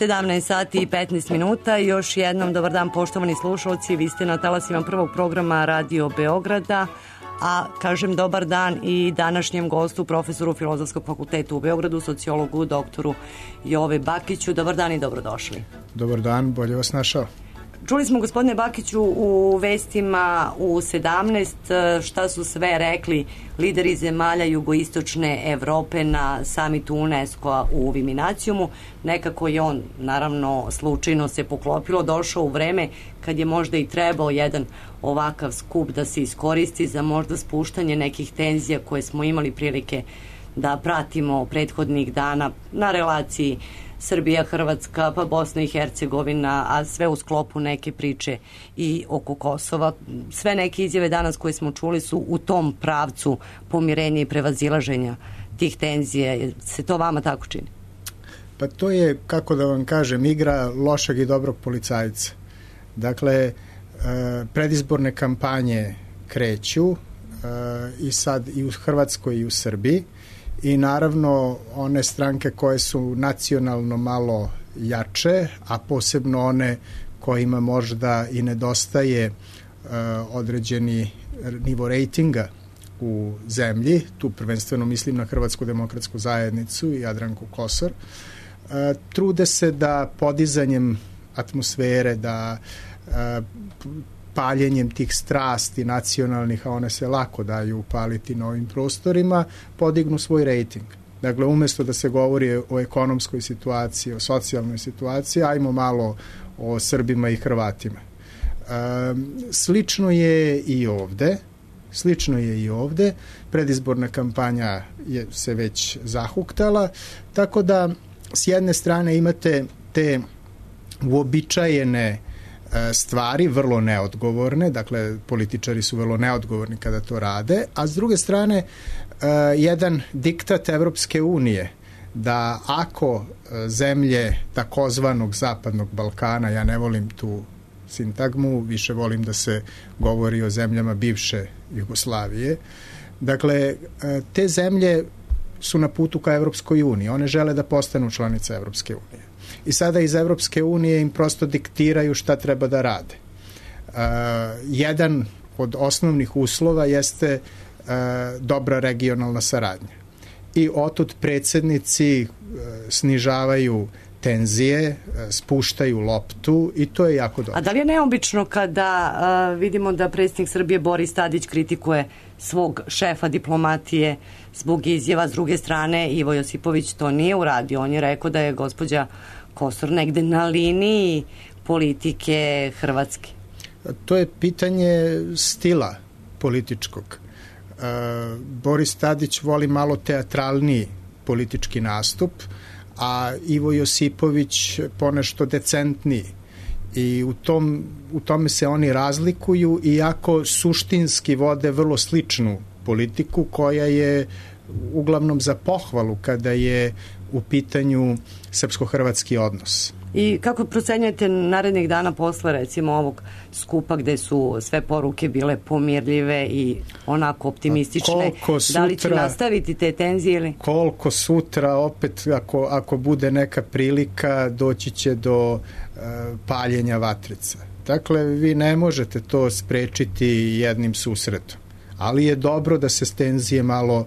17 sati i 15 minuta. Još jednom dobar dan, poštovani slušalci. Vi ste na talasima prvog programa Radio Beograda, a kažem dobar dan i današnjem gostu, profesoru Filozofskog fakulteta u Beogradu, sociologu, doktoru Jove Bakiću. Dobar dan i dobrodošli. Dobar dan, bolje vas našao. Čuli smo, gospodine Bakiću, u vestima u 17 šta su sve rekli lideri zemalja jugoistočne Evrope na samitu UNESCO-a u Viminacijumu. Nekako je on, naravno, slučajno se poklopilo, došao u vreme kad je možda i trebao jedan ovakav skup da se iskoristi za možda spuštanje nekih tenzija koje smo imali prilike da pratimo prethodnih dana na relaciji Srbija, Hrvatska, pa Bosna i Hercegovina, a sve u sklopu neke priče i oko Kosova. Sve neke izjave danas koje smo čuli su u tom pravcu pomirenja i prevazilaženja tih tenzija. Se to vama tako čini? Pa to je, kako da vam kažem, igra lošeg i dobrog policajca. Dakle, predizborne kampanje kreću i sad i u Hrvatskoj i u Srbiji. I naravno one stranke koje su nacionalno malo jače, a posebno one kojima možda i nedostaje određeni nivo rejtinga u zemlji, tu prvenstveno mislim na Hrvatsku demokratsku zajednicu i Jadranku Kosor, trude se da podizanjem atmosfere, da paljenjem tih strasti nacionalnih, a one se lako daju upaliti na ovim prostorima, podignu svoj rejting. Dakle, umesto da se govori o ekonomskoj situaciji, o socijalnoj situaciji, ajmo malo o Srbima i Hrvatima. Slično je i ovde. Predizborna kampanja se već zahuktala, tako da s jedne strane imate te uobičajene stvari, vrlo neodgovorne, dakle političari su vrlo neodgovorni kada to rade, a s druge strane jedan diktat Evropske unije da ako zemlje takozvanog zapadnog Balkana, ja ne volim tu sintagmu, više volim da se govori o zemljama bivše Jugoslavije, dakle te zemlje su na putu ka Evropskoj uniji, one žele da postanu članice Evropske unije. I sada iz Evropske unije im prosto diktiraju šta treba da rade. Jedan od osnovnih uslova jeste dobra regionalna saradnja. I otud predsjednici snižavaju tenzije, spuštaju loptu i to je jako dobro. A da li je neobično kada vidimo da predsjednik Srbije Boris Tadić kritikuje svog šefa diplomatije zbog izjava, s druge strane Ivo Josipović to nije uradio, on je rekao da je gospođa Kosor negde na liniji politike Hrvatske? To je pitanje stila političkog. Boris Tadić voli malo teatralniji politički nastup, a Ivo Josipović ponešto decentniji. I u tome se oni razlikuju, iako suštinski vode vrlo sličnu politiku koja je uglavnom za pohvalu kada je u pitanju srpsko-hrvatski odnos. I kako procenjujete narednih dana posle recimo ovog skupa gde su sve poruke bile pomirljive i onako optimistične? Da li će nastaviti te tenzije ili? Koliko sutra opet ako bude neka prilika doći će do paljenja vatrica. Dakle, vi ne možete to sprečiti jednim susretom. Ali je dobro da se tenzije malo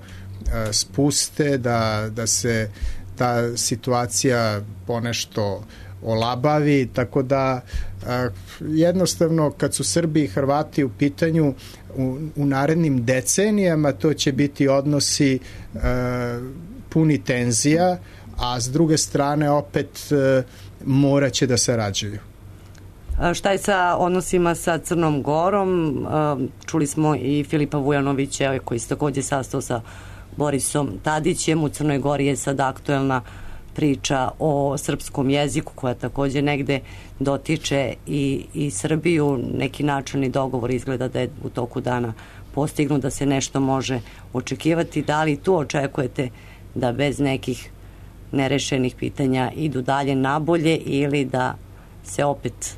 spuste, da se ta situacija ponešto olabavi, tako da jednostavno kad su Srbi i Hrvati u pitanju u narednim decenijama to će biti odnosi puni tenzija, a s druge strane opet morat će da sarađuju. Šta je sa odnosima sa Crnom Gorom? Čuli smo i Filipa Vujanovića koji se takođe sastao sa Borisom Tadićem. U Crnoj Gori je sad aktuelna priča o srpskom jeziku koja takođe negde dotiče i Srbiju. Neki načelni dogovor izgleda da je u toku dana postignut, da se nešto može očekivati. Da li tu očekujete da bez nekih nerešenih pitanja idu dalje nabolje ili da se opet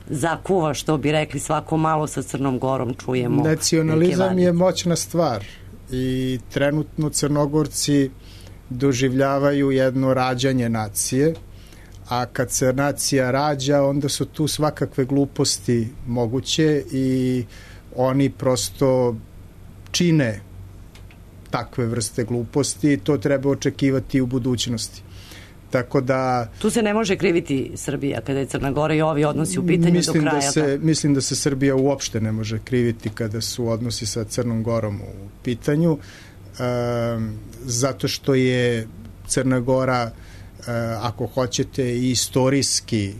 zakuva, što bi rekli, svako malo sa Crnom Gorom čujemo? Nacionalizam je moćna stvar i trenutno Crnogorci doživljavaju jedno rađanje nacije, a kad se nacija rađa, onda su tu svakakve gluposti moguće i oni prosto čine takve vrste gluposti i to treba očekivati u budućnosti. Tako da... Tu se ne može kriviti Srbija kada je Crna Gora i ovi odnosi u pitanju do kraja. Mislim da se Srbija uopšte ne može kriviti kada su odnosi sa Crnom Gorom u pitanju, zato što je Crna Gora, ako hoćete, i istorijski,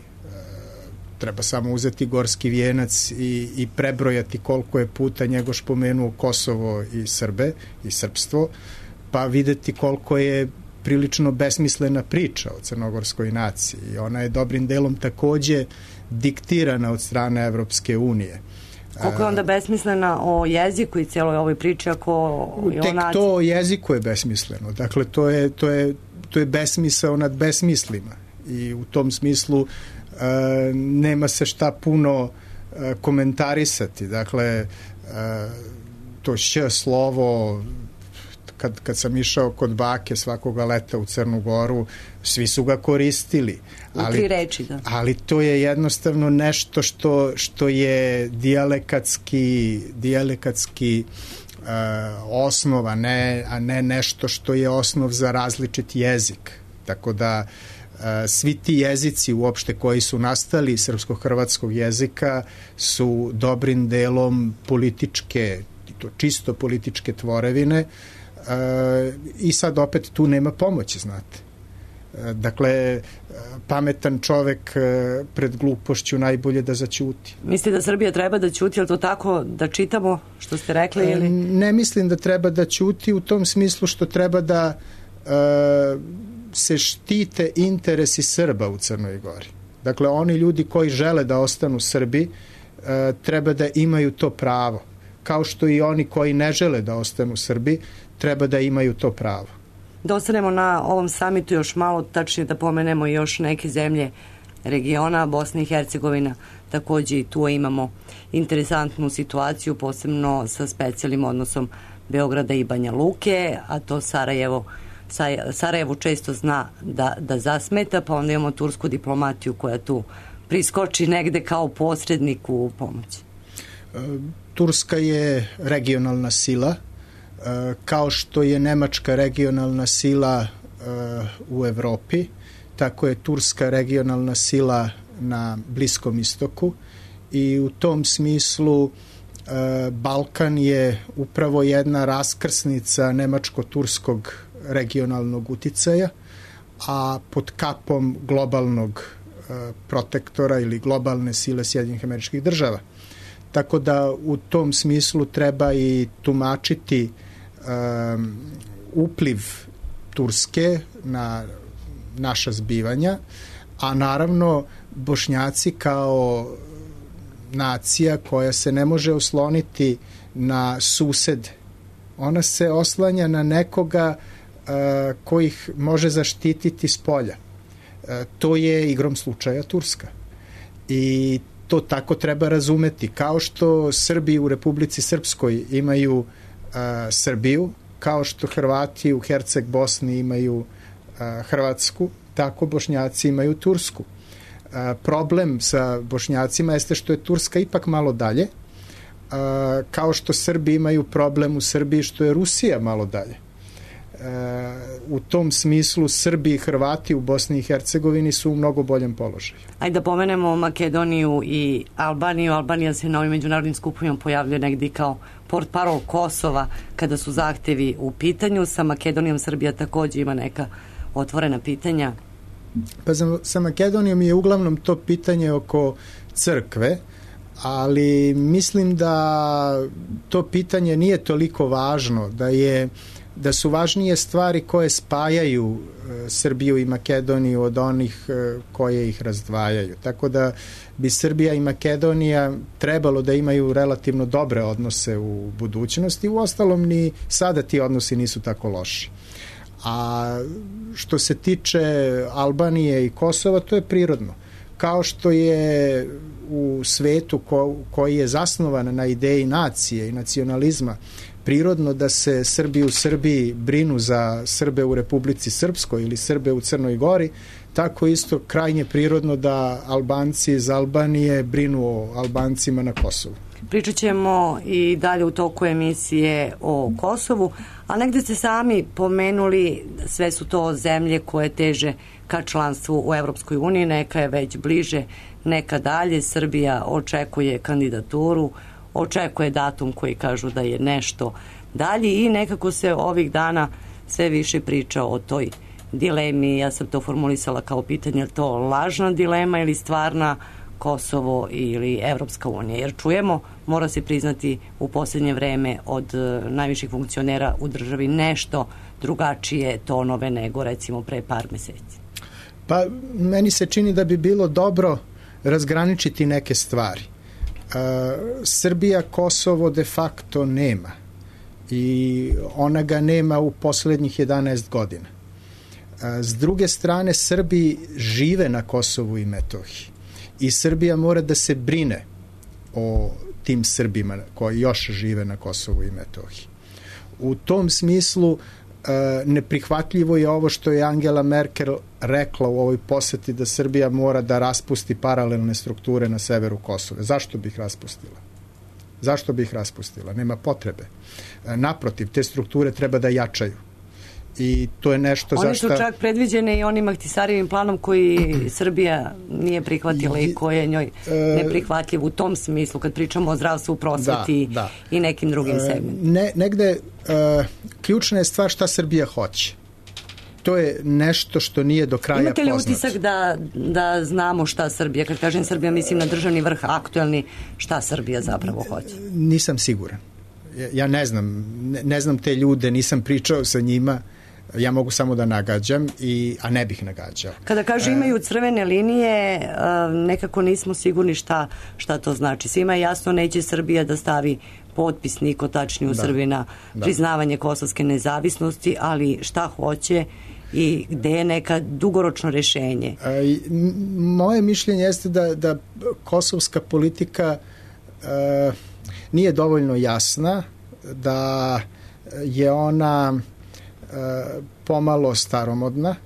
treba samo uzeti Gorski vijenac i prebrojati koliko je puta Njegoš pomenuo Kosovo i Srbe i srpstvo, pa videti koliko je prilično besmislena priča o crnogorskoj naciji. Ona je dobrim delom takođe diktirana od strane Evropske unije. Koliko je onda besmislena o jeziku i cijeloj ovoj priči ako je o naciji? Tek to o jeziku je besmisleno. Dakle, to je besmisao nad besmislima i u tom smislu nema se šta puno komentarisati. Dakle, to š slovo, kad sam išao kod bake svakoga leta u Crnu Goru, svi su ga koristili. U 3 reči, da. Ali to je jednostavno nešto što je dijalekatski osnov, a ne nešto što je osnov za različit jezik. Tako da svi ti jezici uopšte koji su nastali srpsko-hrvatskog jezika su dobrim delom političke, to čisto političke tvorevine, i sad opet tu nema pomoći, znate. Dakle, pametan čovek pred glupošću najbolje da zaćuti. Mislite da Srbija treba da ćuti, je li to tako da čitamo što ste rekli? Ili? Ne mislim da treba da ćuti u tom smislu što treba da se štite interesi Srba u Crnoj Gori. Dakle, oni ljudi koji žele da ostanu Srbi treba da imaju to pravo. Kao što i oni koji ne žele da ostanu Srbi treba da imaju to pravo. Da ostanemo na ovom samitu još malo, tačnije da pomenemo još neke zemlje regiona, Bosna i Hercegovina, takođe i tu imamo interesantnu situaciju, posebno sa specijalnim odnosom Beograda i Banja Luke, a to Sarajevo često zna da zasmeta, pa onda imamo tursku diplomatiju koja tu priskoči negde kao posrednik u pomoći. Turska je regionalna sila, kao što je Nemačka regionalna sila u Evropi, tako je Turska regionalna sila na Bliskom istoku i u tom smislu Balkan je upravo jedna raskrsnica nemačko-turskog regionalnog uticaja, a pod kapom globalnog protektora ili globalne sile Sjedinjenih Američkih Država. Tako da u tom smislu treba i tumačiti upliv Turske na naša zbivanja, a naravno Bošnjaci kao nacija koja se ne može osloniti na susede. Ona se oslanja na nekoga koji ih može zaštititi s polja. To je igrom slučaja Turska. I to tako treba razumeti. Kao što Srbi u Republici Srpskoj imaju Srbiju, kao što Hrvati u Herceg Bosni imaju Hrvatsku, tako Bošnjaci imaju Tursku. Problem sa Bošnjacima jeste što je Turska ipak malo dalje, kao što Srbi imaju problem u Srbiji što je Rusija malo dalje. U tom smislu Srbi i Hrvati u Bosni i Hercegovini su u mnogo boljem položaju. Ajde da pomenemo Makedoniju i Albaniju. Albanija se na ovim međunarodnim skupovima pojavljuje negdje kao portparol Kosova kada su zahtevi u pitanju. Sa Makedonijom Srbija takođe ima neka otvorena pitanja. Pa sa Makedonijom je uglavnom to pitanje oko crkve, ali mislim da to pitanje nije toliko važno, da su važnije stvari koje spajaju Srbiju i Makedoniju od onih koje ih razdvajaju. Tako da bi Srbija i Makedonija trebalo da imaju relativno dobre odnose u budućnosti. Uostalom ni sada ti odnosi nisu tako loši. A što se tiče Albanije i Kosova, to je prirodno. Kao što je u svetu koji je zasnovan na ideji nacije i nacionalizma prirodno da se Srbi u Srbiji brinu za Srbe u Republici Srpskoj ili Srbe u Crnoj Gori, tako isto krajnje prirodno da Albanci iz Albanije brinu o Albancima na Kosovu. Pričat ćemo i dalje u toku emisije o Kosovu, a negde ste sami pomenuli, sve su to zemlje koje teže ka članstvu u Evropskoj uniji, neka je već bliže, neka dalje. Srbija očekuje kandidaturu, očekuje datum koji kažu da je nešto dalje i nekako se ovih dana sve više priča o toj dilemi. Ja sam to formulisala kao pitanje, je to lažna dilema ili stvarna, Kosovo ili Evropska unija? Jer čujemo, mora se priznati u posljednje vreme od najviših funkcionera u državi nešto drugačije tonove nego recimo pre par meseci. Pa meni se čini da bi bilo dobro razgraničiti neke stvari. Srbija Kosovo de facto nema i ona ga nema u poslednjih 11 godina. S druge strane, Srbi žive na Kosovu i Metohiji i Srbija mora da se brine o tim Srbima koji još žive na Kosovu i Metohiji. U tom smislu neprihvatljivo je ovo što je Angela Merkel rekla u ovoj poseti, da Srbija mora da raspusti paralelne strukture na severu Kosova. Zašto bih raspustila? Zašto bih raspustila? Nema potrebe. Naprotiv, te strukture treba da jačaju. I to je nešto Oni su čak predviđene i onim Ahtisarijevim planom koji Srbija nije prihvatila i koji je njoj neprihvatljiv u tom smislu kad pričamo o zdravstvu, prosveti i nekim drugim segmentima. Negde ključna je stvar šta Srbija hoće. To je nešto što nije do kraja poznato. Imate li utisak da znamo šta Srbija, kad kažem Srbija mislim na državni vrh aktuelni, šta Srbija zapravo hoće? Nisam siguran. Ja ne znam te ljude, nisam pričao sa njima, ja mogu samo da nagađam, a ne bih nagađao. Kada kaže imaju crvene linije, nekako nismo sigurni šta to znači. Svima je jasno, neće Srbija da stavi potpis, niko tačnije u Srbiji na priznavanje kosovske nezavisnosti, ali šta hoće i gde je neka dugoročno rešenje? Moje mišljenje jeste da kosovska politika nije dovoljno jasna, da je ona pomalo staromodna,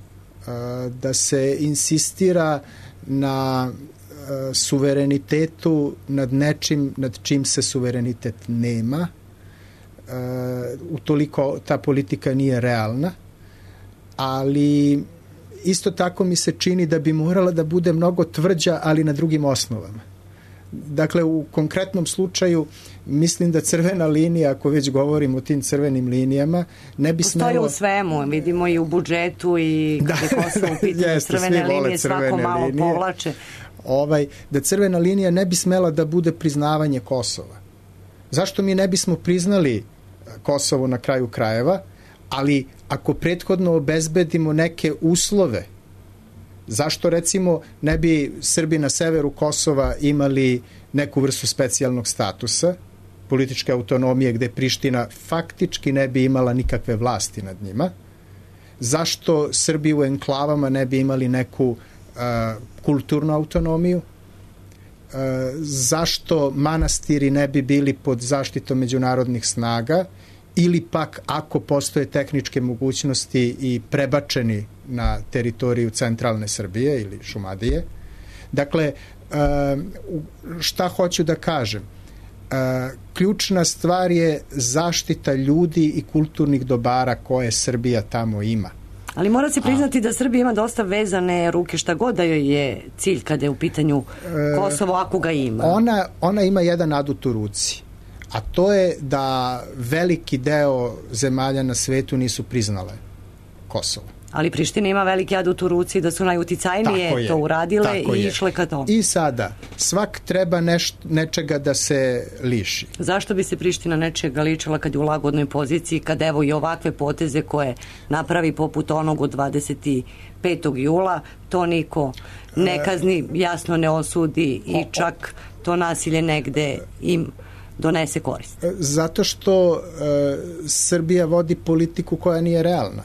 da se insistira na suverenitetu nad nečim nad čim se suverenitet nema. Utoliko ta politika nije realna, ali isto tako mi se čini da bi morala da bude mnogo tvrđa, ali na drugim osnovama. Dakle, u konkretnom slučaju mislim da crvena linija, ako već govorimo o tim crvenim linijama, ne bi smelo... Postoji u svemu, vidimo i u budžetu i kada je Kosovo u pitanju crvene linije, svako malo povlače. Da crvena linija ne bi smela da bude priznavanje Kosova. Zašto mi ne bismo priznali Kosovo na kraju krajeva, ali ako prethodno obezbedimo neke uslove, zašto recimo ne bi Srbi na severu Kosova imali neku vrstu specijalnog statusa, političke autonomije gde Priština faktički ne bi imala nikakve vlasti nad njima? Zašto Srbi u enklavama ne bi imali neku kulturnu autonomiju? Zašto manastiri ne bi bili pod zaštitom međunarodnih snaga ili pak ako postoje tehničke mogućnosti i prebačeni na teritoriju centralne Srbije ili Šumadije? Dakle, šta hoću da kažem? Ključna stvar je zaštita ljudi i kulturnih dobara koje Srbija tamo ima. Ali mora se priznati da Srbija ima dosta vezane ruke, šta god da joj je cilj kada je u pitanju Kosovo, ako ga ima. Ona ima jedan adut u ruci, a to je da veliki deo zemalja na svetu nisu priznale Kosovo. Ali Priština ima veliki adut u ruci da su najuticajnije to uradile i išle ka tomu. I sada, svak treba nečega da se liši. Zašto bi se Priština nečega ličila kad je u lagodnoj poziciji, kad evo i ovakve poteze koje napravi poput onog od 25. jula, to niko ne kazni, jasno ne osudi i čak to nasilje negde im donese korist? Zato što Srbija vodi politiku koja nije realna.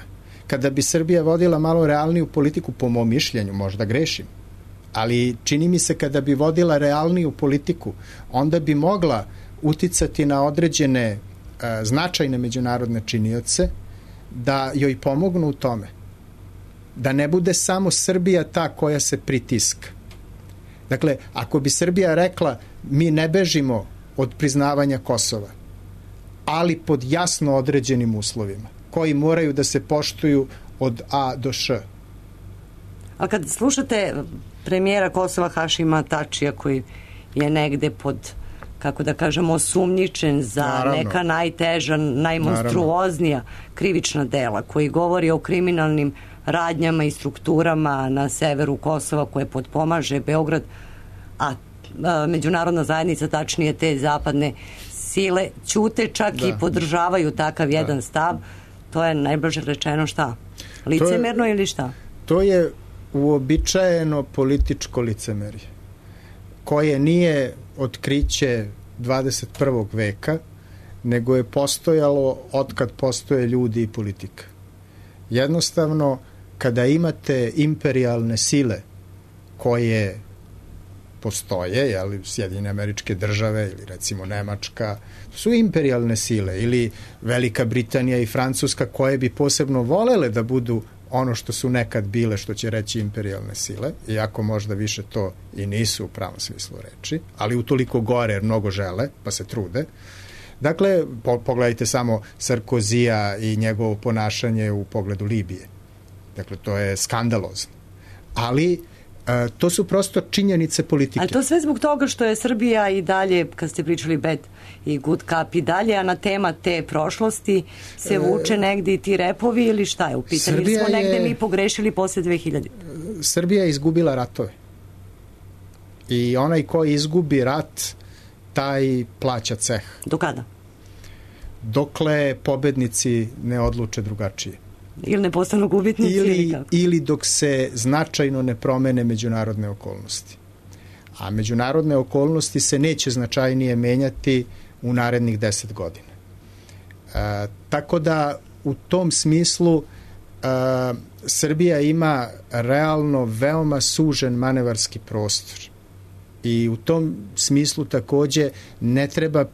Kada bi Srbija vodila malo realniju politiku, po mom mišljenju, možda grešim, ali čini mi se kada bi vodila realniju politiku, onda bi mogla uticati na određene značajne međunarodne činioce da joj pomognu u tome. Da ne bude samo Srbija ta koja se pritiska. Dakle, ako bi Srbija rekla mi ne bežimo od priznavanja Kosova, ali pod jasno određenim uslovima, koji moraju da se poštuju od A do Š. A kad slušate premijera Kosova Hašima Tačija, koji je negde pod, kako da kažemo, osumnjičen za neka najteža, najmonstruoznija krivična dela, koji govori o kriminalnim radnjama i strukturama na severu Kosova koje potpomaže Beograd, a međunarodna zajednica, tačnije te zapadne sile, ćute čak i podržavaju takav jedan stav, to je najblaže rečeno šta? Licemerno ili šta? To je uobičajeno političko licemerje, koje nije otkriće 21. veka, nego je postojalo otkad postoje ljudi i politika. Jednostavno, kada imate imperijalne sile koje postoje, Sjedinjene Američke Države ili recimo Nemačka, su imperijalne sile, ili Velika Britanija i Francuska, koje bi posebno volele da budu ono što su nekad bile, što će reći imperijalne sile, iako možda više to i nisu u pravom smislu reči, ali utoliko gore jer mnogo žele, pa se trude. Dakle, pogledajte samo Sarkozija i njegovo ponašanje u pogledu Libije. Dakle, to je skandalozno. Ali to su prosto činjenice politike. Ali to sve zbog toga što je Srbija i dalje, kad ste pričali bad i good cup i dalje, a na tema te prošlosti se vuče negdje i ti repovi ili šta je u pitanju? Ili smo negdje mi pogrešili posle 2000? Srbija je izgubila ratove. I onaj ko izgubi rat, taj plaća ceh. Do kada? Dokle pobednici ne odluče drugačije. Ili ne postanu gubitnici ili dok se značajno ne promene međunarodne okolnosti. A međunarodne okolnosti se neće značajnije menjati u narednih 10 godina. Tako da u tom smislu Srbija ima realno veoma sužen manevarski prostor. I u tom smislu takođe ne treba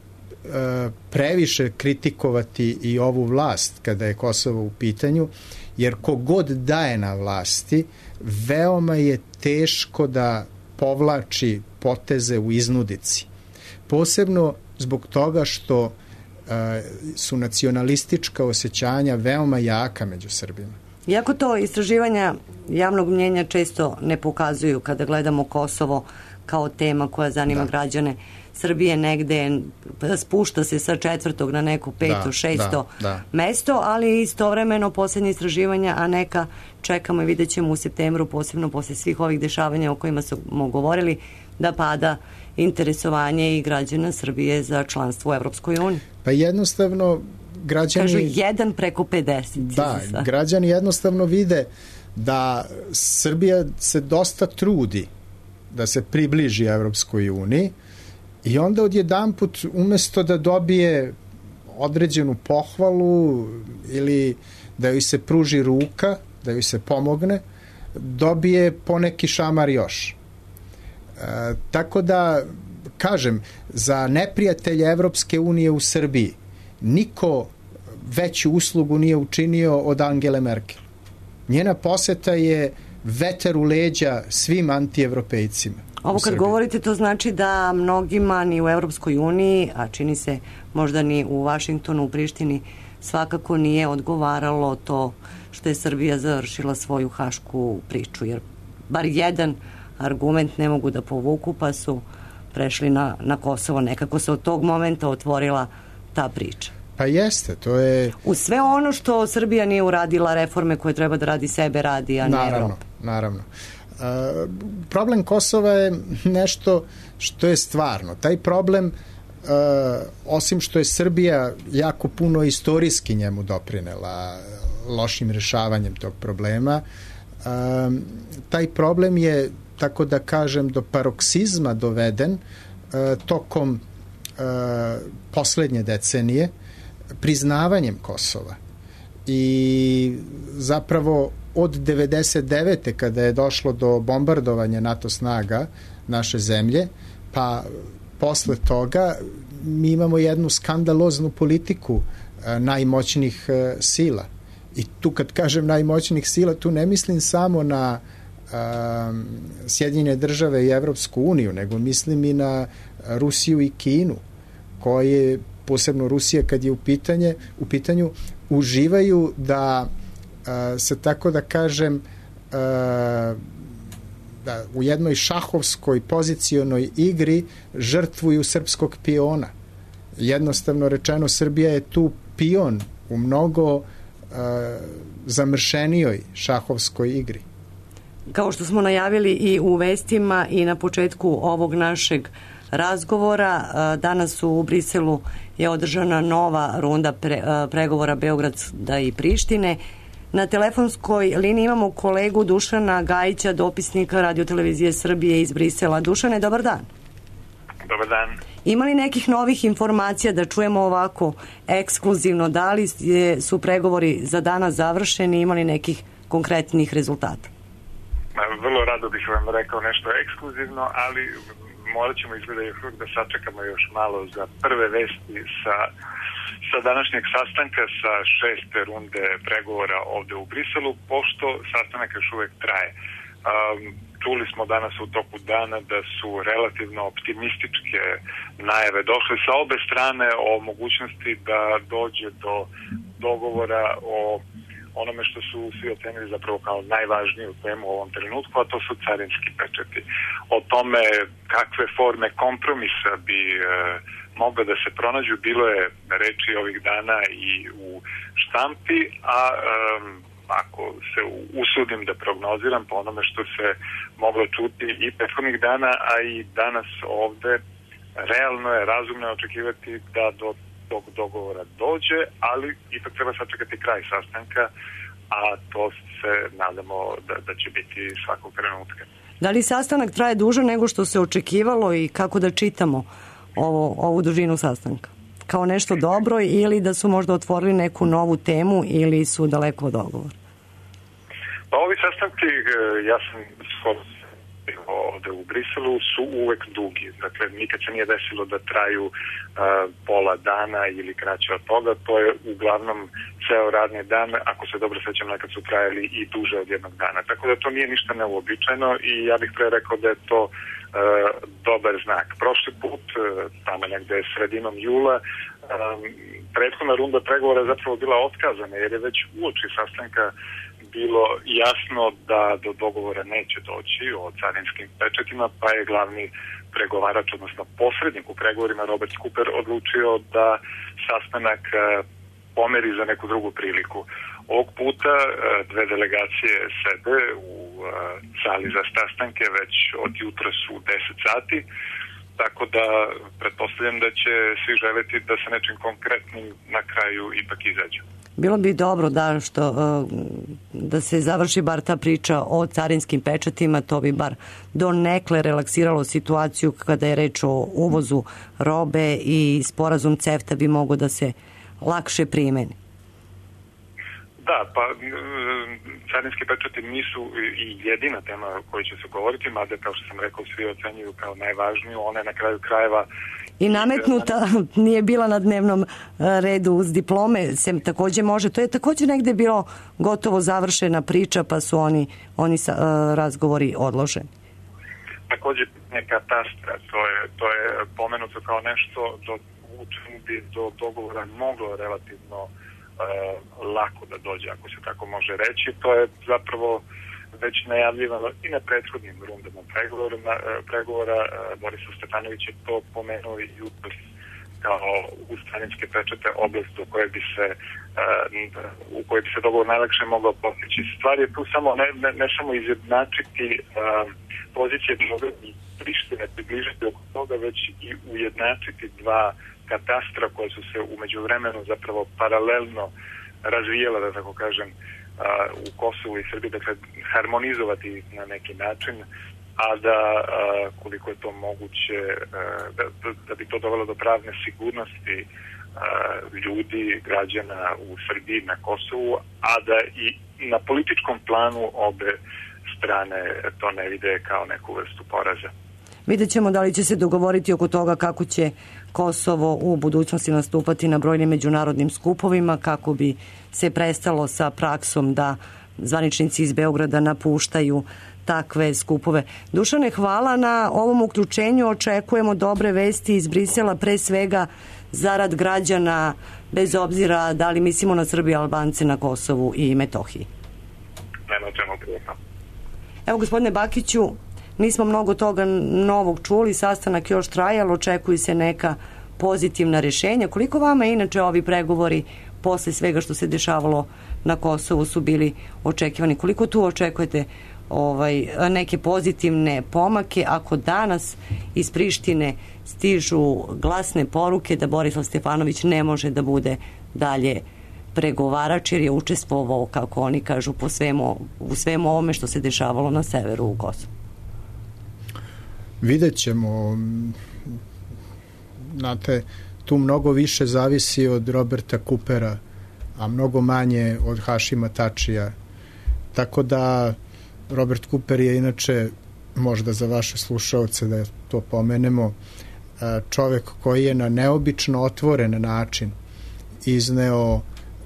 previše kritikovati i ovu vlast kada je Kosovo u pitanju, jer kogod daje na vlasti, veoma je teško da povlači poteze u iznudici. Posebno zbog toga što su nacionalistička osjećanja veoma jaka među Srbima. Iako to istraživanja javnog mnjenja često ne pokazuju kada gledamo Kosovo kao tema koja zanima građane Srbije, negde spušta se sa 4. na neko 5. 6. mesto, ali istovremeno posljednje istraživanja, a neka čekamo i vidjet ćemo u septembru, posebno posle svih ovih dešavanja o kojima smo govorili, da pada interesovanje i građana Srbije za članstvo u Evropskoj uniji. Pa jednostavno građani... Kažu 1 preko 50. Da, građani jednostavno vide da Srbija se dosta trudi da se približi Evropskoj uniji i onda odjedanput umesto da dobije određenu pohvalu ili da joj se pruži ruka, da joj se pomogne, dobije poneki šamar još. Tako da, kažem, za neprijatelje Evropske unije u Srbiji niko veću uslugu nije učinio od Angele Merkel. Njena poseta je vetar u leđa svim antievropejcima. Ovo kad govorite, to znači da mnogima ni u Evropskoj uniji, a čini se možda ni u Vašingtonu, u Prištini, svakako nije odgovaralo to što je Srbija završila svoju hašku priču, jer bar jedan argument ne mogu da povuku, pa su prešli na Kosovo. Nekako se od tog momenta otvorila ta priča. Pa jeste, to je... U sve ono što Srbija nije uradila, reforme koje treba da radi sebe radi, a ne Evropa. Naravno. Problem Kosova je nešto što je stvarno. Taj problem, osim što je Srbija jako puno istorijski njemu doprinela lošim rešavanjem tog problema, taj problem je, tako da kažem, do paroksizma doveden tokom poslednje decenije priznavanjem Kosova. I zapravo od 99. kada je došlo do bombardovanja NATO snaga naše zemlje, pa posle toga mi imamo jednu skandaloznu politiku najmoćnijih sila. I tu kad kažem najmoćnijih sila, tu ne mislim samo na Sjedinjene države i Evropsku uniju, nego mislim i na Rusiju i Kinu, koje, posebno Rusija kad je u pitanju, uživaju da se, tako da kažem, da u jednoj šahovskoj pozicionoj igri žrtvuju srpskog piona. Jednostavno rečeno, Srbija je tu pion u mnogo zamršenijoj šahovskoj igri. Kao što smo najavili i u vestima i na početku ovog našeg razgovora, danas u Briselu je održana nova runda pregovora Beograda i Prištine. Na telefonskoj liniji imamo kolegu Dušana Gajića, dopisnika Radio-televizije Srbije iz Brisela. Dušane, dobar dan. Dobar dan. Ima li nekih novih informacija da čujemo ovako ekskluzivno? Da li su pregovori za danas završeni? Ima li nekih konkretnih rezultata? Vrlo rado bih vam rekao nešto ekskluzivno, ali morat ćemo izgleda još uvijek da sačekamo još malo za prve vesti sa današnjeg sastanka, sa 6. runde pregovora ovde u Briselu, pošto sastanak još uvijek traje. Čuli smo danas u toku dana da su relativno optimističke najave došle sa obe strane o mogućnosti da dođe do dogovora o onome što su svi ocenili zapravo kao najvažniju temu u ovom trenutku, a to su carinski pečati. O tome kakve forme kompromisa bi mogle da se pronađu, bilo je reči ovih dana i u štampi, a ako se usudim da prognoziram po onome što se moglo čuti i prethodnih dana, a i danas ovde, realno je, razumno je očekivati da do tog dogovora dođe, ali ipak treba sačekati kraj sastanka, a to se nadamo da će biti svakog trenutka. Da li sastanak traje duže nego što se očekivalo i kako da čitamo ovu dužinu sastanka? Kao nešto dobro ili da su možda otvorili neku novu temu ili su daleko od dogovora? Pa ovi sastanci, ja sam skoro ovde u Briselu, su uvek dugi. Dakle, nikad se nije desilo da traju pola dana ili kraće od toga. To je uglavnom ceo radni dan, ako se dobro sećam, nekad su trajali i duže od jednog dana. Tako da to nije ništa neuobičajeno i ja bih pre rekao da je to dobar znak. Prošli put, tamo negde sredinom jula, prethodna runda pregovora je zapravo bila otkazana, jer je već uoči sastanka bilo jasno da do dogovora neće doći o carinskim pečatima, pa je glavni pregovarač, odnosno posrednik u pregovorima Robert Cooper, odlučio da sastanak pomeri za neku drugu priliku. Ovog puta dve delegacije sede u sali za sastanke već od jutra su 10 sati, tako da pretpostavljam da će svi želeti da sa nečim konkretnim na kraju ipak izađu. Bilo bi dobro da se završi bar ta priča o carinskim pečatima, to bi bar donekle relaksiralo situaciju kada je reč o uvozu robe i sporazum CEFTA bi mogao da se lakše primeni. Da, pa carinski pečati nisu i jedina tema o kojoj će se govoriti, mada kao što sam rekao svi ocenjuju kao najvažniju, ona je na kraju krajeva i nametnuta, nije bila na dnevnom redu uz diplome, se takođe može, to je takođe negde bilo gotovo završena priča, pa su oni razgovori odloženi. Takođe katastra, to je pomenuto kao nešto u čemu bi do dogovora moglo relativno lako da dođe, ako se tako može reći. To je zapravo već najavljivano i na prethodnim rundama pregovora. Borislav Stefanović je to pomenuo i jutros kao uz carinske pečate oblast u kojoj bi se dogovor najlakše mogao postići. Stvar je tu samo ne samo izjednačiti pozicije i Prištine, približiti oko toga, već i ujednačiti dva katastra koje su se umeđu vremenu zapravo paralelno razvijela, da tako kažem, u Kosovu i Srbiji, dakle harmonizovati na neki način, a da koliko je to moguće, da bi to dovelo do pravne sigurnosti ljudi, građana u Srbiji, na Kosovu, a da i na političkom planu obe strane to ne vide kao neku vrstu poraza. Vidjet ćemo da li će se dogovoriti oko toga kako će Kosovo u budućnosti nastupati na brojnim međunarodnim skupovima, kako bi se prestalo sa praksom da zvaničnici iz Beograda napuštaju takve skupove. Dušane, hvala na ovom uključenju. Očekujemo dobre vesti iz Brisela, pre svega zarad građana, bez obzira da li mislimo na Srbi i Albance na Kosovu i Metohiji. Nema čemu prijetno. Evo, gospodine Bakiću, nismo mnogo toga novog čuli, sastanak još traje, ali očekuju se neka pozitivna rješenja. Koliko vama inače ovi pregovori posle svega što se dešavalo na Kosovu su bili očekivani? Koliko tu očekujete neke pozitivne pomake ako danas iz Prištine stižu glasne poruke da Borislav Stefanović ne može da bude dalje pregovarač jer je učestvovao, kako oni kažu, u svemu ovome što se dešavalo na severu u Kosovu? Vidjet ćemo. Znate, tu mnogo više zavisi od Roberta Coopera, a mnogo manje od Hašima Tačija. Tako da Robert Cooper je inače, možda za vaše slušaoce da to pomenemo, čovek koji je na neobično otvoren način izneo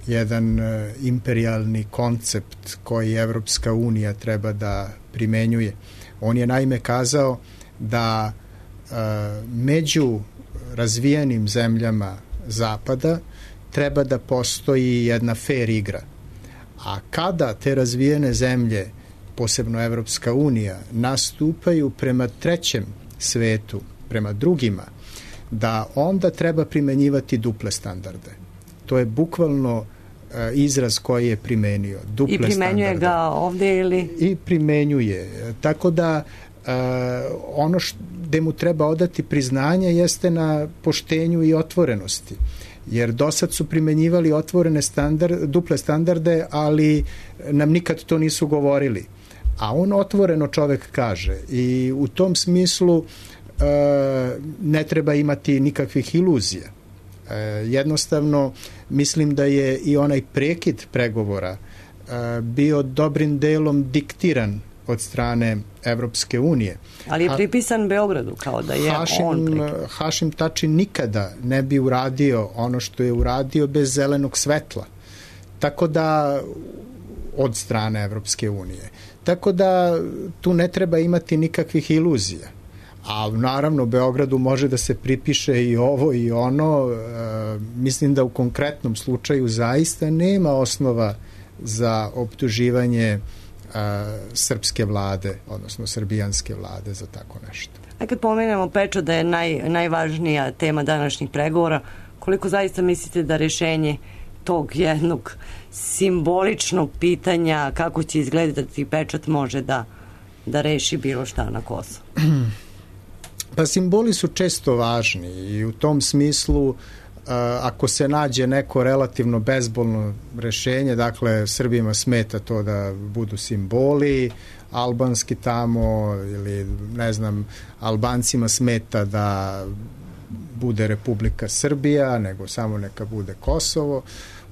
jedan imperijalni koncept koji Evropska unija treba da primenjuje. On je naime kazao da među razvijenim zemljama Zapada treba da postoji jedna fair igra. A kada te razvijene zemlje, posebno Evropska unija, nastupaju prema trećem svetu, prema drugima, da onda treba primenjivati duple standarde. To je bukvalno izraz koji je primenio. Duple standarde. I primenjuje ga ovdje ili? I primenjuje. Tako da ono gde mu treba odati priznanje jeste na poštenju i otvorenosti. Jer do sad su primenjivali duple standarde, ali nam nikad to nisu govorili. A on otvoreno čovek kaže i u tom smislu ne treba imati nikakvih iluzija. Jednostavno mislim da je i onaj prekid pregovora bio dobrim delom diktiran od strane Evropske unije. Ali je pripisan Beogradu kao da je on prekid. Hašim Tači nikada ne bi uradio ono što je uradio bez zelenog svetla. Tako da od strane Evropske unije. Tako da tu ne treba imati nikakvih iluzija. A naravno Beogradu može da se pripiše i ovo i ono. Mislim da u konkretnom slučaju zaista nema osnova za optuživanje srpske vlade, odnosno srbijanske vlade za tako nešto. A kad pomenemo pečat da je najvažnija tema današnjih pregovora, koliko zaista mislite da rešenje tog jednog simboličnog pitanja kako će izgledati pečat može da reši bilo šta na Kosovu? Pa simboli su često važni i u tom smislu ako se nađe neko relativno bezbolno rešenje, dakle Srbima smeta to da budu simboli albanski tamo ili ne znam, Albancima smeta da bude Republika Srbija, nego samo neka bude Kosovo,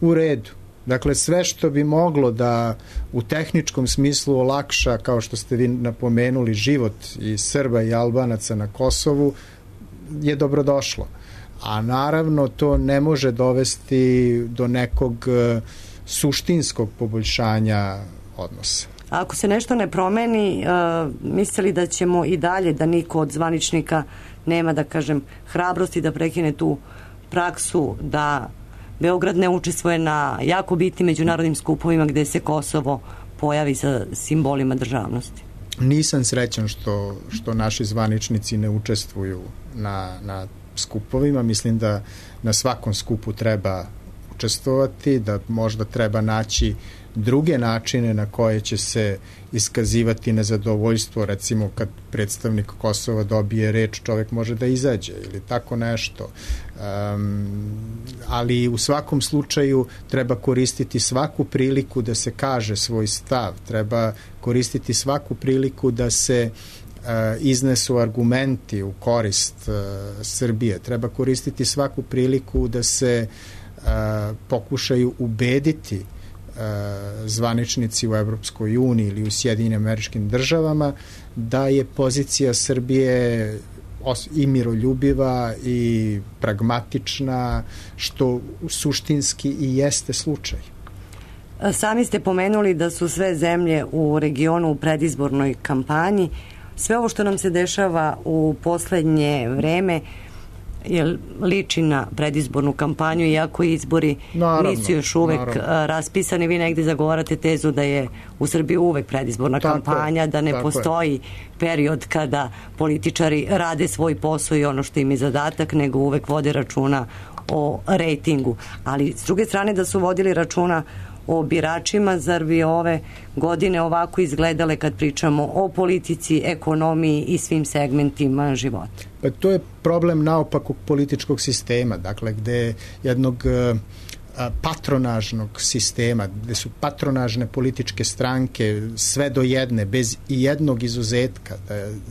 u redu. Dakle, sve što bi moglo da u tehničkom smislu olakša, kao što ste vi napomenuli, život i Srba i Albanaca na Kosovu je dobrodošlo. A naravno to ne može dovesti do nekog suštinskog poboljšanja odnosa. A ako se nešto ne promeni, mislili da ćemo i dalje, da niko od zvaničnika nema, da kažem, hrabrosti da prekine tu praksu da Beograd ne učestvuje na jako bitnim međunarodnim skupovima gde se Kosovo pojavi sa simbolima državnosti? Nisam srećan što naši zvaničnici ne učestvuju na skupovima. Mislim da na svakom skupu treba učestvovati, da možda treba naći druge načine na koje će se iskazivati nezadovoljstvo, recimo kad predstavnik Kosova dobije reč, čovjek može da izađe ili tako nešto. Ali u svakom slučaju treba koristiti svaku priliku da se kaže svoj stav, treba koristiti svaku priliku da se iznesu argumenti u korist Srbije, treba koristiti svaku priliku da se pokušaju ubediti zvaničnici u Evropskoj uniji ili u Sjedinjenim Američkim Državama, da je pozicija Srbije i miroljubiva i pragmatična, što suštinski i jeste slučaj. Sami ste pomenuli da su sve zemlje u regionu u predizbornoj kampanji. Sve ovo što nam se dešava u poslednje vreme liči na predizbornu kampanju, iako izbori nisu još uvek raspisani. Vi negde zagovarate tezu da je u Srbiji uvek predizborna kampanja, da ne postoji period kada političari rade svoj posao i ono što im je zadatak, nego uvek vode računa o rejtingu. Ali s druge strane da su vodili računa o biračima, zar bi ove godine ovako izgledale kad pričamo o politici, ekonomiji i svim segmentima života? Pa to je problem naopakog političkog sistema, dakle gde jednog patronažnog sistema, gde su patronažne političke stranke sve do jedne, bez i jednog izuzetka.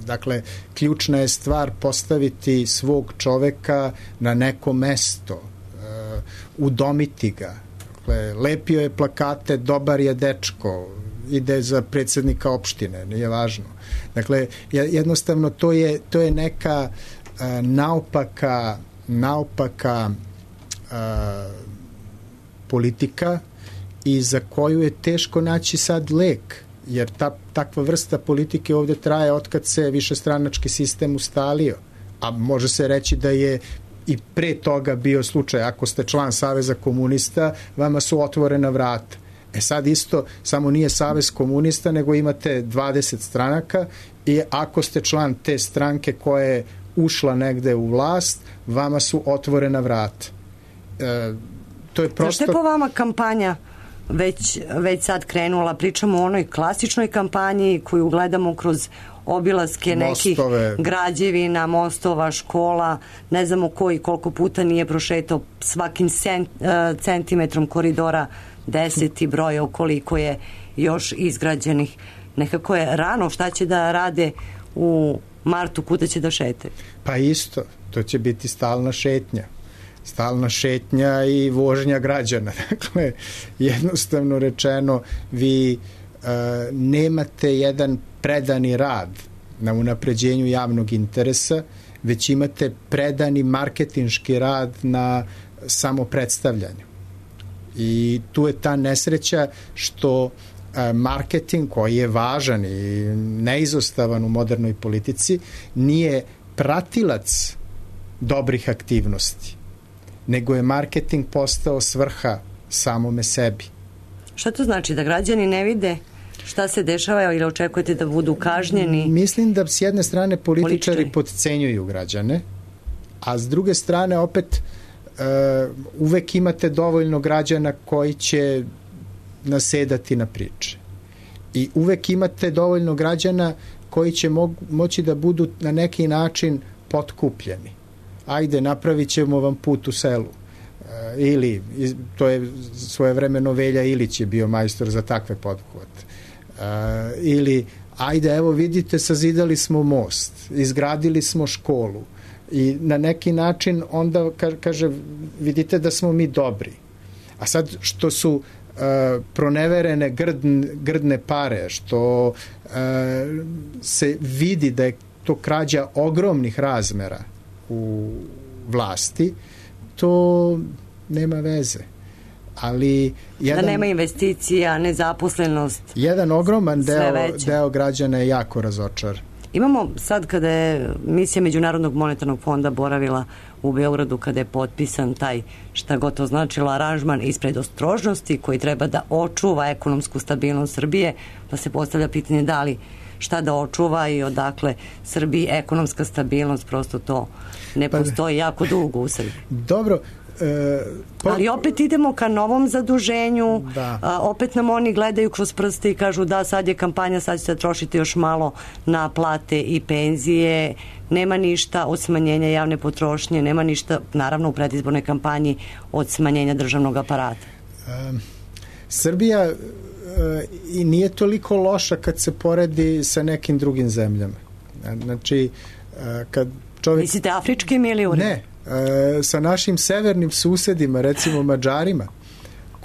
Dakle, ključna je stvar postaviti svog čoveka na neko mesto, udomiti ga. Lepio je plakate, dobar je dečko, ide za predsjednika opštine, nije važno. Dakle, jednostavno to je neka naopaka politika i za koju je teško naći sad lek, jer takva vrsta politike ovde traje otkad se višestranački sistem ustalio, a može se reći da je i pre toga bio slučaj. Ako ste član Saveza komunista, vama su otvorena vrata. Sad isto, samo nije Savez komunista, nego imate 20 stranaka i ako ste član te stranke koja je ušla negde u vlast, vama su otvorena vrata. To je prosto... Zašto je po vama kampanja već sad krenula? Pričamo o onoj klasičnoj kampanji koju gledamo kroz obilaske nekih građevina, mostova, škola, ne znamo koliko puta nije prošetao svakim centimetrom koridora 10 i broja koliko je još izgrađenih. Nekako je rano, šta će da rade u martu, kuda će da šete? Pa isto, to će biti stalna šetnja i vožnja građana. Dakle, jednostavno rečeno, vi nemate jedan predani rad na unapređenju javnog interesa, već imate predani marketinški rad na samopredstavljanju. I tu je ta nesreća što marketing, koji je važan i neizostavan u modernoj politici, nije pratilac dobrih aktivnosti, nego je marketing postao svrha samome sebi. Šta to znači? Da građani ne vide šta se dešava ili očekujete da budu kažnjeni? Mislim da s jedne strane političari potcenjuju građane, a s druge strane opet uvek imate dovoljno građana koji će nasedati na priče. I uvek imate dovoljno građana koji će moći da budu na neki način potkupljeni. Ajde, napravit ćemo vam put u selu. Ili, to je svojevremeno Velja Ilić je bio majstor za takve pothvate. Ili, ajde, evo vidite, sazidali smo most, izgradili smo školu i na neki način onda kaže, vidite da smo mi dobri. A sad što su proneverene grdne pare, što se vidi da je to krađa ogromnih razmera u vlasti, to nema veze. Ali da nema investicija, nezaposlenost. Jedan ogroman deo građana je jako razočaran. Imamo sad kada je misija Međunarodnog monetarnog fonda boravila u Beogradu, kada je potpisan taj, šta god to značilo, aranžman ispred ostrožnosti koji treba da očuva ekonomsku stabilnost Srbije, pa se postavlja pitanje da li šta da očuva i odakle Srbiji ekonomska stabilnost, prosto to ne postoji jako dugo u Srbiji. Dobro, ali opet idemo ka novom zaduženju, opet nam oni gledaju kroz prste i kažu da sad je kampanja, sad ćete trošiti još malo na plate i penzije, nema ništa od smanjenja javne potrošnje, nema ništa naravno u predizbornoj kampanji od smanjenja državnog aparata. Srbija i nije toliko loša kad se poredi sa nekim drugim zemljama. Znači, kad čovjek... Mislite afričkim ili uredom? Ne, sa našim severnim susedima, recimo Mađarima,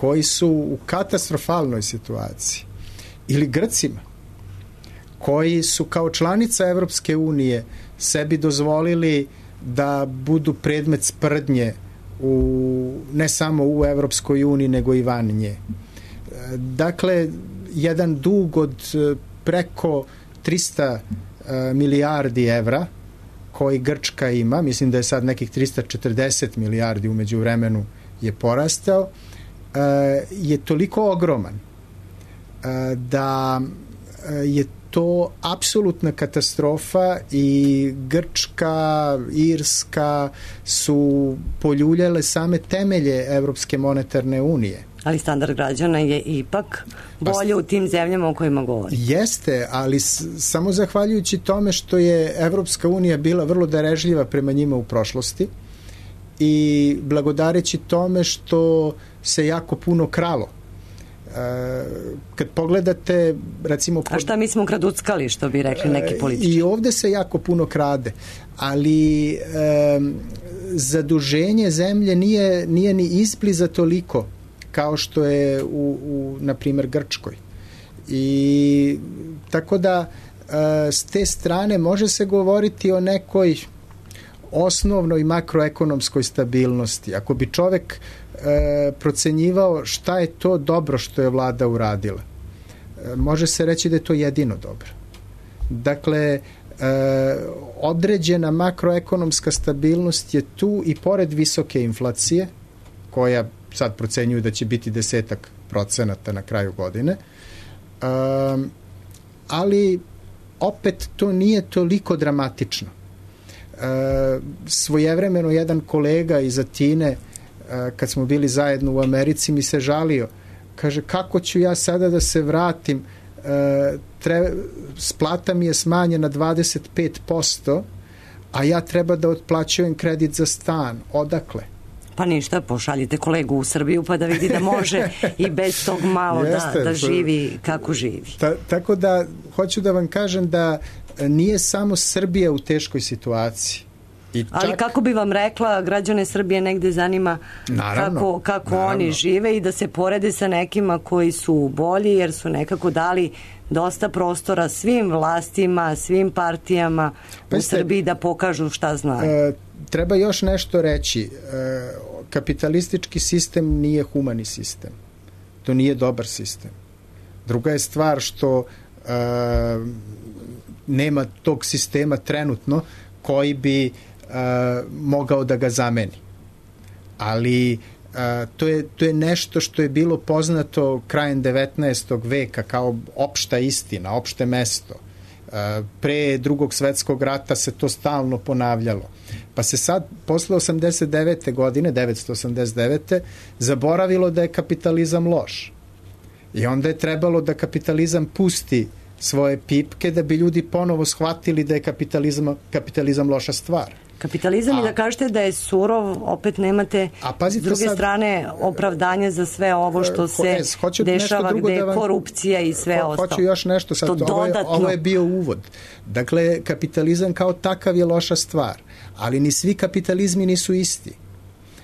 koji su u katastrofalnoj situaciji, ili Grcima koji su kao članica Evropske unije sebi dozvolili da budu predmet sprdnje ne samo u Evropskoj uniji nego i van nje. Dakle, jedan dug od preko 300 milijardi evra koji Grčka ima, mislim da je sad nekih 340 milijardi umeđu vremenu je porastao, je toliko ogroman da je to apsolutna katastrofa i Grčka, Irska su poljuljale same temelje Evropske monetarne unije. Ali standard građana je ipak bolje u tim zemljama o kojima govori. Jeste, ali samo zahvaljujući tome što je Evropska unija bila vrlo darežljiva prema njima u prošlosti i blagodareći tome što se jako puno kralo. Kad pogledate, recimo... A šta mi smo kraduckali, što bi rekli neki političari? I ovde se jako puno krade, ali zaduženje zemlje nije ni izbliza toliko kao što je na primjer, Grčkoj. I tako da s te strane može se govoriti o nekoj osnovnoj makroekonomskoj stabilnosti. Ako bi čovek procenjivao šta je to dobro što je vlada uradila, može se reći da je to jedino dobro. Dakle, određena makroekonomska stabilnost je tu i pored visoke inflacije, koja sad procenjuju da će biti 10% na kraju godine, ali opet to nije toliko dramatično. Svojevremeno jedan kolega iz Atine, kad smo bili zajedno u Americi, mi se žalio. Kaže, kako ću ja sada da se vratim? Plata mi je smanjena 25%, a ja treba da otplaćujem kredit za stan. Odakle? Pa ništa, pošaljite kolegu u Srbiju pa da vidi da može i bez tog malo da živi kako živi. Tako da, hoću da vam kažem da nije samo Srbija u teškoj situaciji. Ali kako bi vam rekla, građane Srbije negde zanima kako oni žive i da se porede sa nekima koji su bolji, jer su nekako dali dosta prostora svim vlastima, svim partijama u Srbiji da pokažu šta znaju. Treba još nešto reći. Kapitalistički sistem nije humani sistem. To nije dobar sistem. Druga je stvar što nema tog sistema trenutno koji bi mogao da ga zameni. Ali to je nešto što je bilo poznato krajem 19. veka kao opšta istina, opšte mesto. Pre Drugog svetskog rata se to stalno ponavljalo. Pa se sad, posle 89. godine, 989. zaboravilo da je kapitalizam loš. I onda je trebalo da kapitalizam pusti svoje pipke da bi ljudi ponovo shvatili da je kapitalizam loša stvar. Kapitalizam i da kažete da je surov, opet nemate s druge strane opravdanje za sve ovo što se dešava, gde je korupcija i sve ostalo. Hoću još nešto sad, ovo je bio uvod. Dakle, kapitalizam kao takav je loša stvar, ali ni svi kapitalizmi nisu isti.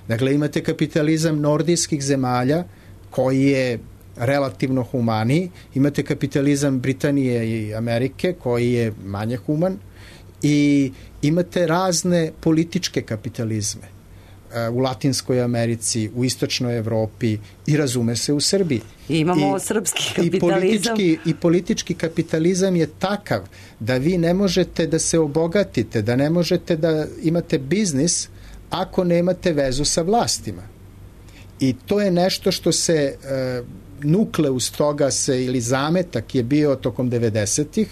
Dakle, imate kapitalizam nordijskih zemalja koji je relativno humaniji, imate kapitalizam Britanije i Amerike koji je manje human i imate razne političke kapitalizme u Latinskoj Americi, u Istočnoj Evropi i razume se u Srbiji. I imamo srpski kapitalizam. I politički kapitalizam je takav da vi ne možete da se obogatite, da ne možete da imate biznis ako nemate vezu sa vlastima. I to je nešto što se nukleus toga se ili zametak je bio tokom 90-ih,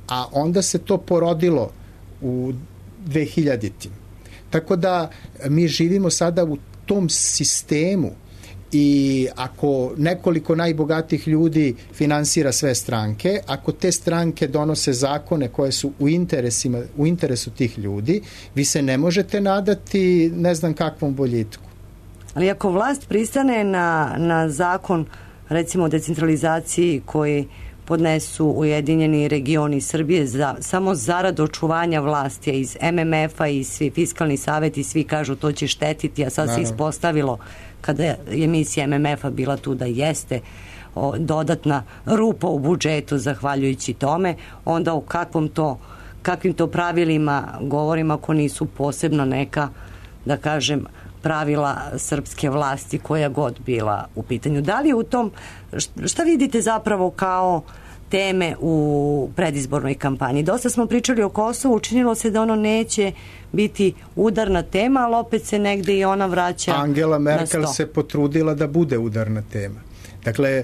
a onda se to porodilo u 2000-tim. Tako da mi živimo sada u tom sistemu i ako nekoliko najbogatih ljudi finansira sve stranke, ako te stranke donose zakone koje su u interesu tih ljudi, vi se ne možete nadati ne znam kakvom boljitku. Ali ako vlast pristane na zakon, recimo o decentralizaciji koji podnesu Ujedinjeni regioni Srbije samo zarad očuvanja vlasti, iz MMF-a i svi fiskalni saveti, svi kažu to će štetiti, a sad se ispostavilo kada je misija MMF-a bila tu da jeste dodatna rupa u budžetu zahvaljujući tome, onda o kakvim to pravilima govorimo ako nisu posebno neka, da kažem, pravila srpske vlasti koja god bila u pitanju. Da li u tom, šta vidite zapravo kao teme u predizbornoj kampanji? Dosta smo pričali o Kosovu, učinilo se da ono neće biti udarna tema, ali opet se negde i ona vraća Angela Merkel na sto. se potrudila da bude udarna tema. Dakle,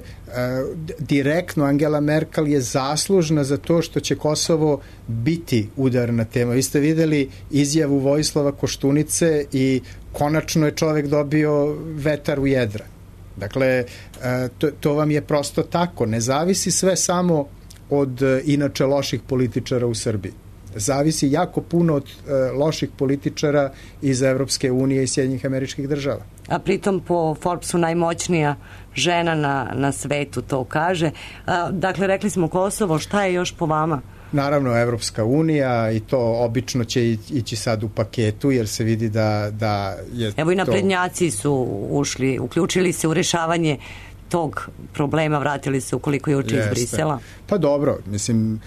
direktno Angela Merkel je zaslužna za to što će Kosovo biti udarna tema. Vi ste videli izjavu Vojislava Koštunice i konačno je čovek dobio vetar u jedra. Dakle, to vam je prosto tako. Ne zavisi sve samo od inače loših političara u Srbiji. Zavisi jako puno od loših političara iz Evropske unije i Sjedinjenih Američkih Država. A pritom po Forbesu najmoćnija žena na svetu to kaže. Dakle, rekli smo Kosovo, šta je još po vama? Naravno, Evropska unija i to obično će ići sad u paketu, jer se vidi da je Evo i naprednjaci su ušli, uključili se u rešavanje tog problema, vratili se ukoliko je uče iz Brisela. Pa dobro, mislim,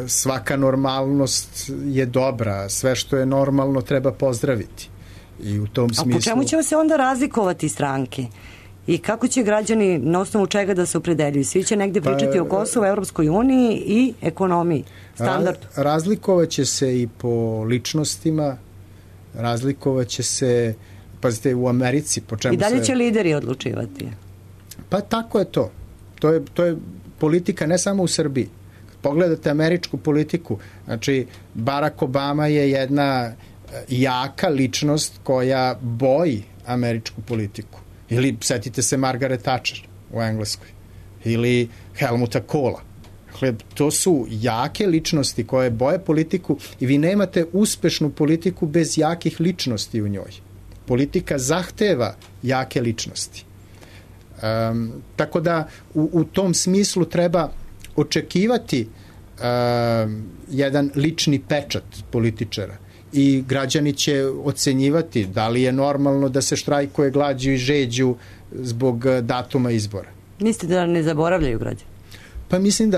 svaka normalnost je dobra, sve što je normalno treba pozdraviti. I u tom smislu... A po čemu će se onda razlikovati stranke? I kako će građani, na osnovu čega da se opredeljuju? Svi će negde pričati o Kosovu, Evropskoj uniji i ekonomiji, standardu. Razlikovaće se i po ličnostima, razlikovaće se, pazite, u Americi, po čemu se... I dalje će lideri odlučivati. Pa tako je to. To je politika ne samo u Srbiji. Pogledate američku politiku, znači Barack Obama je jedna jaka ličnost koja boji američku politiku. Ili setite se Margaret Thatcher u Engleskoj. Ili Helmuta Kohla. Dakle, to su jake ličnosti koje boje politiku i vi nemate uspešnu politiku bez jakih ličnosti u njoj. Politika zahteva jake ličnosti. Tako da u tom smislu treba očekivati jedan lični pečat političara i građani će ocenjivati da li je normalno da se štrajkuje glađu i žeđu zbog datuma izbora. Mislite da ne zaboravljaju građani? Pa mislim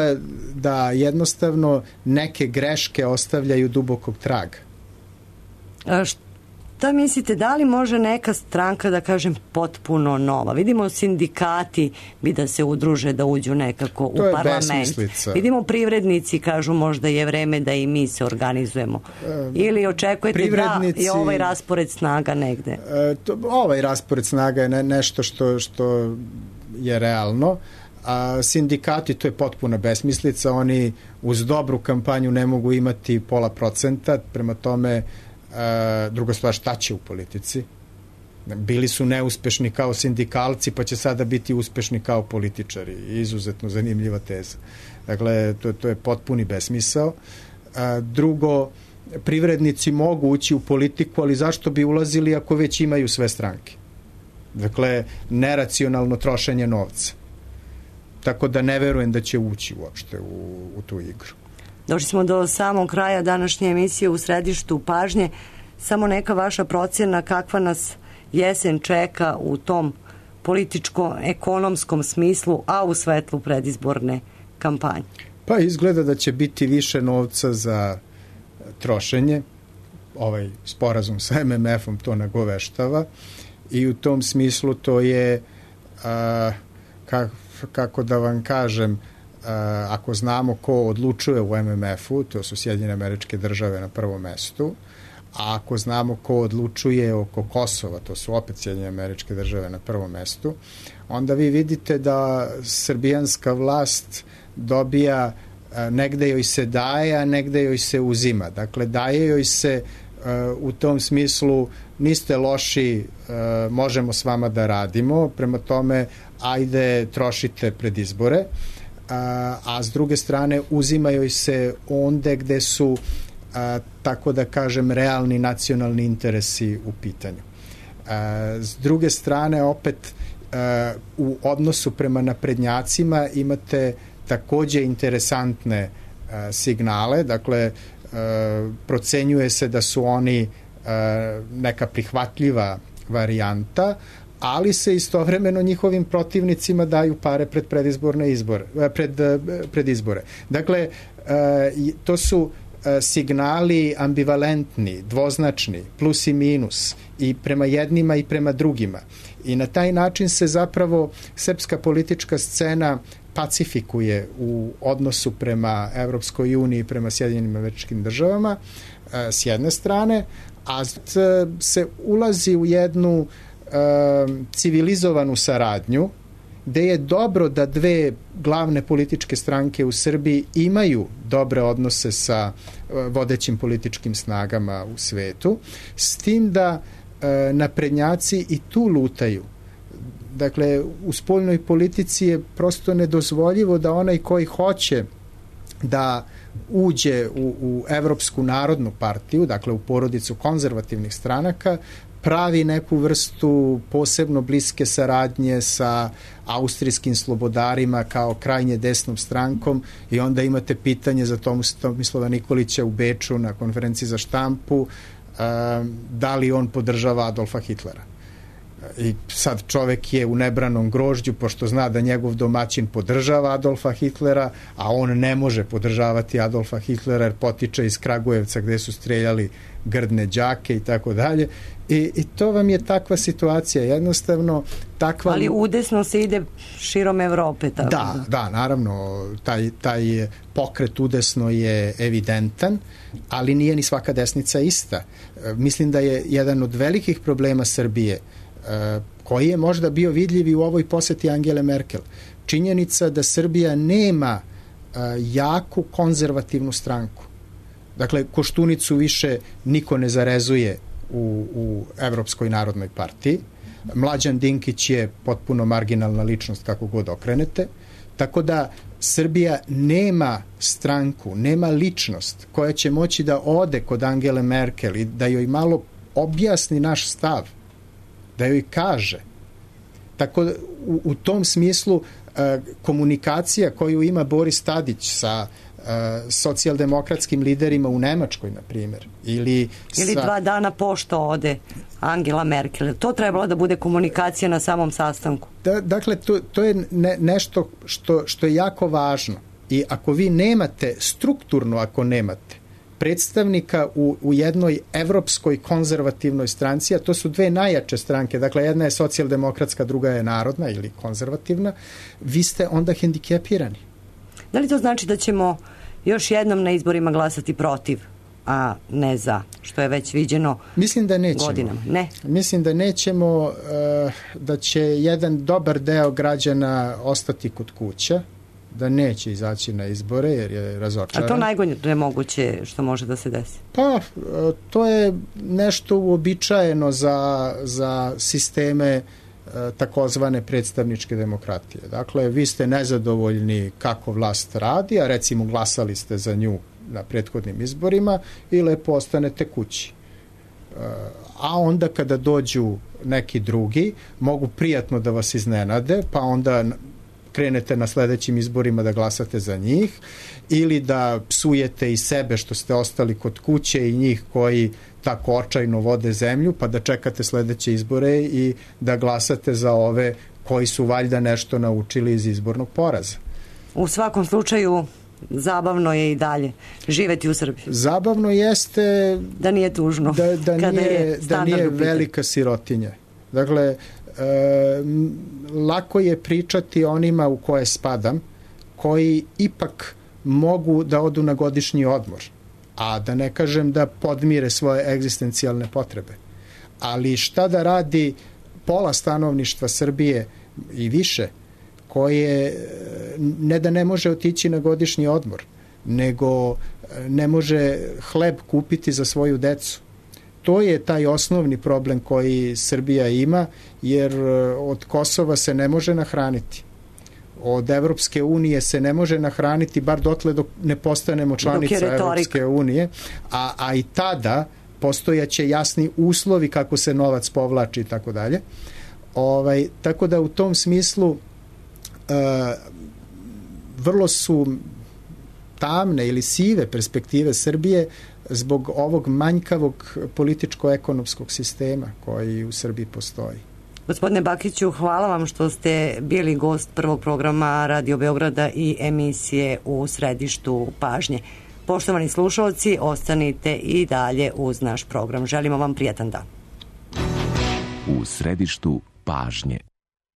da jednostavno neke greške ostavljaju dubokog traga. Šta mislite, da li može neka stranka, da kažem, potpuno nova? Vidimo sindikati bi da se udruže, da uđu nekako u parlament. Besmislica. Vidimo privrednici kažu možda je vreme da i mi se organizujemo. Ili očekujete da je ovaj raspored snaga negde? Ovaj raspored snaga je nešto što je realno. A sindikati, to je potpuna besmislica. Oni uz dobru kampanju ne mogu imati 0,5%, prema tome druga stvar, šta će u politici? Bili su neuspešni kao sindikalci, pa će sada biti uspešni kao političari. Izuzetno zanimljiva teza. Dakle, to je potpuni besmisao. Drugo, privrednici mogu ući u politiku, ali zašto bi ulazili ako već imaju sve stranke? Dakle, neracionalno trošenje novca. Tako da ne verujem da će ući uopšte u tu igru. Došli smo do samog kraja današnje emisije u središtu pažnje. Samo neka vaša procjena kakva nas jesen čeka u tom političko-ekonomskom smislu, a u svetlu predizborne kampanje? Pa izgleda da će biti više novca za trošenje. Ovaj sporazum sa MMF-om to nagoveštava i u tom smislu to je, kako da vam kažem, ako znamo ko odlučuje u MMF-u, to su Sjedinjene Američke Države na prvom mestu, a ako znamo ko odlučuje oko Kosova, to su opet Sjedinjene Američke Države na prvom mestu, onda vi vidite da srbijanska vlast dobija, negde joj se daje, a negde joj se uzima. Dakle, daje joj se u tom smislu, niste loši, možemo s vama da radimo, prema tome ajde trošite pred izbore, a s druge strane uzimaju se onde gde su, tako da kažem, realni nacionalni interesi u pitanju. S druge strane, opet u odnosu prema naprednjacima imate takođe interesantne signale, dakle procenjuje se da su oni neka prihvatljiva varijanta, ali se istovremeno njihovim protivnicima daju pare pred predizborne izbore, pred izbore. Dakle, to su signali ambivalentni, dvoznačni, plus i minus, i prema jednima i prema drugima. I na taj način se zapravo srpska politička scena pacifikuje u odnosu prema Evropskoj uniji i prema Sjedinjenim Američkim Državama s jedne strane, a se ulazi u jednu civilizovanu saradnju gde je dobro da dve glavne političke stranke u Srbiji imaju dobre odnose sa vodećim političkim snagama u svetu, s tim da naprednjaci i tu lutaju. Dakle, u spoljnoj politici je prosto nedozvoljivo da onaj koji hoće da uđe u Evropsku narodnu partiju, dakle u porodicu konzervativnih stranaka, pravi neku vrstu posebno bliske saradnje sa austrijskim slobodarima kao krajnje desnom strankom, i onda imate pitanje za Tomislava Nikolića u Beču na konferenciji za štampu, da li on podržava Adolfa Hitlera. I sad čovek je u nebranom grožđu, pošto zna da njegov domaćin podržava Adolfa Hitlera, a on ne može podržavati Adolfa Hitlera jer potiče iz Kragujevca gde su streljali grdne đake i tako dalje. I to vam je takva situacija, jednostavno takva... Ali udesno se ide širom Evrope. Tako da, naravno, taj pokret udesno je evidentan, ali nije ni svaka desnica ista. Mislim da je jedan od velikih problema Srbije, koji je možda bio vidljiv i u ovoj poseti Angele Merkel, činjenica da Srbija nema jaku konzervativnu stranku. Dakle, Koštunicu više niko ne zarezuje u Evropskoj narodnoj partiji. Mlađan Dinkić je potpuno marginalna ličnost kako god okrenete. Tako da Srbija nema stranku, nema ličnost koja će moći da ode kod Angele Merkel i da joj malo objasni naš stav, da joj kaže. Tako da u tom smislu komunikacija koju ima Boris Tadić sa socijaldemokratskim liderima u Nemačkoj, na primjer. Ili 2 dana pošto ode Angela Merkel. To trebalo da bude komunikacija na samom sastanku. Dakle, to je nešto što je jako važno. I ako vi nemate, strukturno ako nemate, predstavnika u jednoj evropskoj konzervativnoj stranci, a to su dve najjače stranke, dakle jedna je socijaldemokratska, druga je narodna ili konzervativna, vi ste onda hendikepirani. Da li to znači da ćemo još jednom na izborima glasati protiv, a ne za, što je već viđeno godinama? Mislim da nećemo, da će jedan dobar deo građana ostati kod kuća, da neće izaći na izbore jer je razočaran. A to najgore moguće što može da se desi? Pa, to je nešto uobičajeno za sisteme takozvane predstavničke demokratije. Dakle, vi ste nezadovoljni kako vlast radi, a recimo glasali ste za nju na prethodnim izborima i lepo ostanete kući. A onda kada dođu neki drugi, mogu prijatno da vas iznenade, pa onda krenete na sledećim izborima da glasate za njih, ili da psujete i sebe što ste ostali kod kuće i njih koji tako očajno vode zemlju, pa da čekate sledeće izbore i da glasate za ove koji su valjda nešto naučili iz izbornog poraza. U svakom slučaju zabavno je i dalje živeti u Srbiji. Zabavno jeste da nije tužno da nije velika sirotinja. Dakle, lako je pričati onima u koje spadam, koji ipak mogu da odu na godišnji odmor, a da ne kažem da podmire svoje egzistencijalne potrebe. Ali šta da radi pola stanovništva Srbije i više, koje ne da ne može otići na godišnji odmor, nego ne može hleb kupiti za svoju decu. To je taj osnovni problem koji Srbija ima, jer od Kosova se ne može nahraniti. Od Evropske unije se ne može nahraniti, bar dotle dok ne postanemo članica Evropske unije, a i tada postojaće jasni uslovi kako se novac povlači i tako dalje. Tako da u tom smislu vrlo su tamne ili sive perspektive Srbije zbog ovog manjkavog političko-ekonomskog sistema koji u Srbiji postoji. Gospodine Bakiću, hvala vam što ste bili gost prvog programa Radio Beograda i emisije U središtu pažnje. Poštovani slušalci, ostanite i dalje uz naš program. Želimo vam prijatan dan. U središtu pažnje.